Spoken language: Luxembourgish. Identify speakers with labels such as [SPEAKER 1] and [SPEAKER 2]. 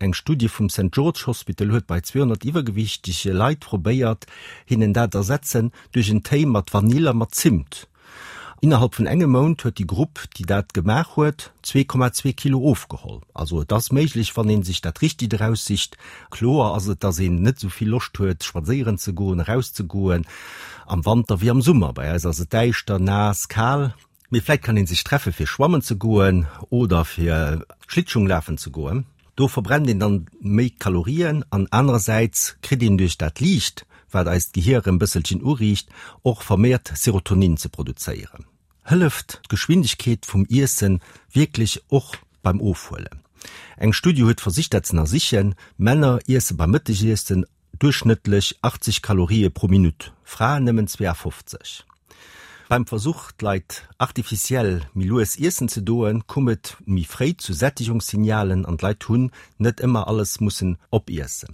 [SPEAKER 1] Eng Studie vum Saint George Hospital huet bei 200 iwwergewiichtege Leit probéiert, hinnen dat ersetzen duerch en Téi mat Vanill a mat Zimt. Innerhalb vun engem Mount huet déi Grupp, déi dat gemaach huet, 2,2 Kilo ofgeholl. Also et ass méiglech, wann ee sech dat Richtegt eraussicht. Kloer ass et, dass een net esou vill Loscht huet, spadséieren ze goen, erauszegoen, am Wanter wéi am Summer. Bei eis ass et däischter, naass, kal. Mee vläit kann ee sech treffe fir schwammen ze goen oder fir Schlittschung lafen ze goen. Do verbrennt een dann méi Kalorien an anerersäits kritt een duerch dat Liicht, wat eist Gehier erëm bësselchen uriicht, och vermehrt Serotonin ze produzéieren. Hëlleft d'Geschwindegkeet vum Iessen wierklech och beim Ofhuelen? Eng Studie huet versicht dat z'ënnersichen. Männer iesse beim Mëttegiessen Duerchschnëttlech 80 Kalorië pro Minutt, Fraen nëmmen 52. Beim Versuch, d'Leit artificiell méi lues iessen ze doen, koum et méi fréi zu Sättegungssignalen an d'Leit hunn net ëmmer alles mussen opiessen.